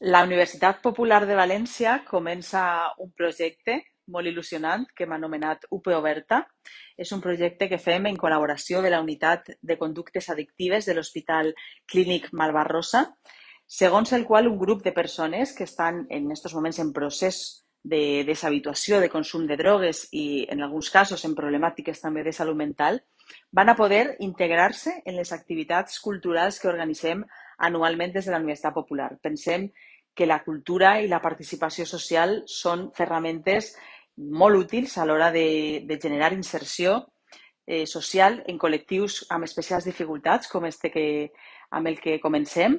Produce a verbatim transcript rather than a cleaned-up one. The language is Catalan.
La Universitat Popular de València comença un projecte molt il·lusionant que hem anomenat U P Oberta. És un projecte que fem en col·laboració de la Unitat de Conductes Addictives de l'Hospital Clínic Malvarrosa, segons el qual un grup de persones que estan en aquests moments en procés de deshabituació, de consum de drogues i, en alguns casos, en problemàtiques també de salut mental, van a poder integrar-se en les activitats culturals que organitzem anualment des de la Universitat Popular. Pensem que la cultura i la participació social són ferramentes molt útils a l'hora de, de generar inserció eh, social en col·lectius amb especials dificultats, com este que, amb el que comencem,